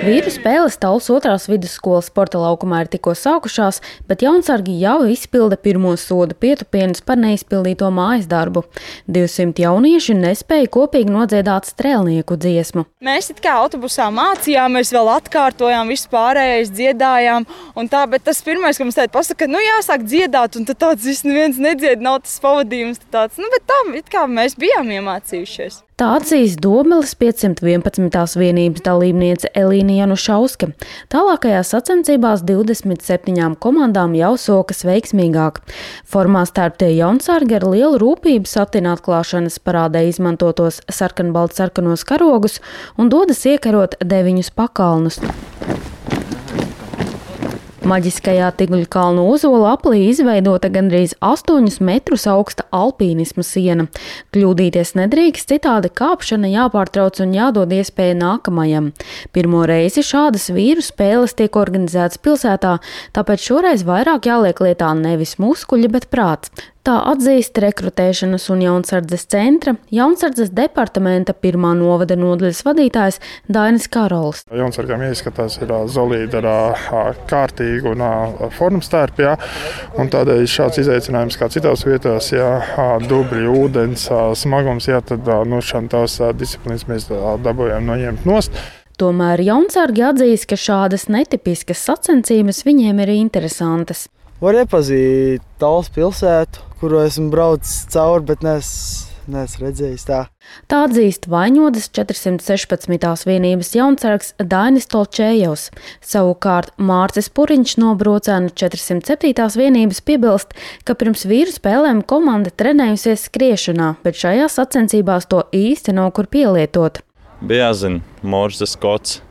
Vīru spēles Tallas 2. vidusskolas sporta laukumā ir tikko sākušās, bet jaunsargi jau izpilda pirmo soda pietupienus par neizpildīto mājas darbu. 200 jaunieši nespēja kopīgi nodziedāt strēlnieku dziesmu. Mēs it kā autobusā mācījāmies, vēl atkārtojām, visu pārējais dziedājām, un tā, bet tas pirmais, ka mums tēti pasaka, jāsāk dziedāt, un tad tāds viss neviens nedzied, nav tas pavadījums, tāds, bet tā, it kā mēs bijām iemācījušies. Tā atzīst Dobeles 511. vienības dalībniece Elīna Janušauska. Tālākajās sacensībās 27 komandām jau sokas veiksmīgāk. Formā stērptie jaunsargi ar lielu rūpību satina atklāšanas parādē izmantotos sarkanbaltsarkanos karogus un dodas iekarot 9 pakalnus. Maģiskajā Tigļu kalnu ozola aplī izveidota gandrīz 8 metrus augsta alpīnisma siena. Kļūdīties nedrīkst, citādi kāpšana jāpārtrauc un jādod iespēja nākamajam. Pirmo reizi šādas vīru spēles tiek organizētas pilsētā, tāpēc šoreiz vairāk jāliek lietā nevis muskuļi, bet prāts. Tā atzīst rekrutēšanas un jaunsardzes centra, jaunsardzes departamenta 1. novada nodaļas vadītājs Dainis Karols. Jaunsargām jāizskatās ir solīdi ar kārtīgu un formu stērpi, un tādēļ šāds izaicinājums kā citās vietās, dubļi, ūdens, smagums, tad tās disciplīnas mēs dabūjām noņemt nost. Tomēr jaunsargi atzīst, ka šādas netipiskas sacensības viņiem ir interesantas. Var iepazīt Tallas pilsētu, kuru esmu braucis cauri, bet neesmu redzējis tā. Tā atzīst Vaņodas 416. vienības jaunsargs Dainis Tolčējevs. Savukārt Mārcis Puriņš no Brocēnu 407. vienības piebilst, ka pirms vīru spēlēm komanda trenējusies skriešanā, bet šajās sacensībās to īsti nav kur pielietot. Bija jāzina Morzes kods,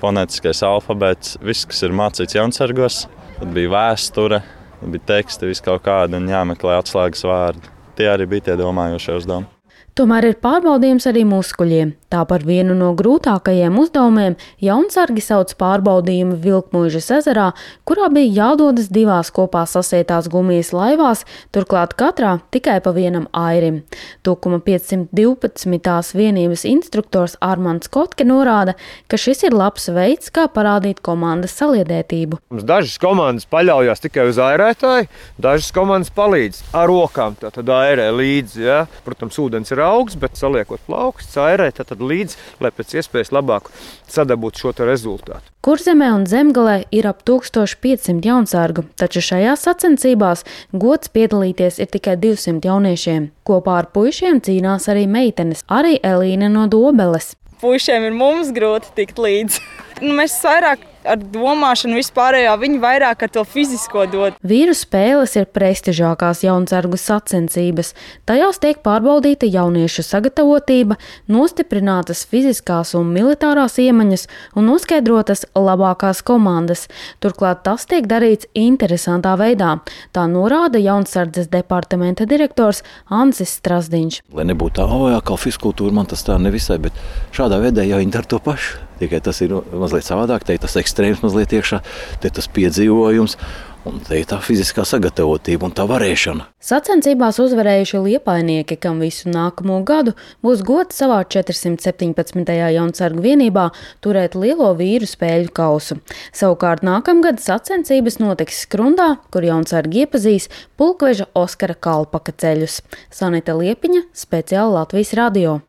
fonētiskais alfabēts, viss, kas ir mācīts jaunsargos. Tad bija vēsture, bija teksti, viss kaut kādi un jāmeklē atslēgas vārdi. Tie arī bija tie domājošie uzdevumi. Tomēr ir pārbaudījums arī muskuļiem. Tā par vienu no grūtākajiem uzdevumiem jaunsargi sauc pārbaudījumu Vilkmuižas ezerā, kurā bija jādodas 2 kopā sasietās gumijas laivās, turklāt katrā tikai pa vienam airim. Tukuma 512. vienības instruktors Armands Kotke norāda, ka šis ir labs veids, kā parādīt komandas saliedētību. Dažas komandas paļaujas tikai uz airētāju, dažas komandas palīdz ar rokām, tad airē līdzi. Ja? Protams, ūdens ir augsts, bet saliekot plaukstus, airē tad līdzi, lai pēc iespējas labāk sadabūtu šo rezultātu. Kurzemē un Zemgalē ir ap 1500 jaunsargu, taču šajās sacensībās gods piedalīties ir tikai 200 jauniešiem. Kopā ar puišiem cīnās arī meitenes, arī Elīna no Dobeles. Puišiem ir mums grūti tikt līdzi. Mēs vairāk ar domāšanu vispārējā, viņi vairāk ar to fizisko dod. Vīru spēles ir prestižākās jaunsargu sacensības. Tajās tiek pārbaudīta jauniešu sagatavotība, nostiprinātas fiziskās un militārās iemaņas un noskaidrotas labākās komandas. Turklāt tas tiek darīts interesantā veidā. Tā norāda jaunsardzes departamenta direktors Ansis Strasdiņš. Lai nebūtu tā, kā fizkultūra, man tas tā nevisai, bet šādā veidā jau viņi dara to pašu. Tikai tas ir mazliet savādāk, te ir tas ekstrēms mazliet iekšā, te tas piedzīvojums un te ir tā fiziskā sagatavotība un tā varēšana. Sacensībās uzvarējuši liepainieki, kam visu nākamo gadu būs gods savā 417. jaunsargu vienībā turēt lielo vīru spēļu kausu. Savukārt nākamgad sacensības notiks Skrundā, kur jaunsargi iepazīs pulkveža Oskara Kalpaka ceļus. Sanita Liepiņa, speciāli Latvijas radio.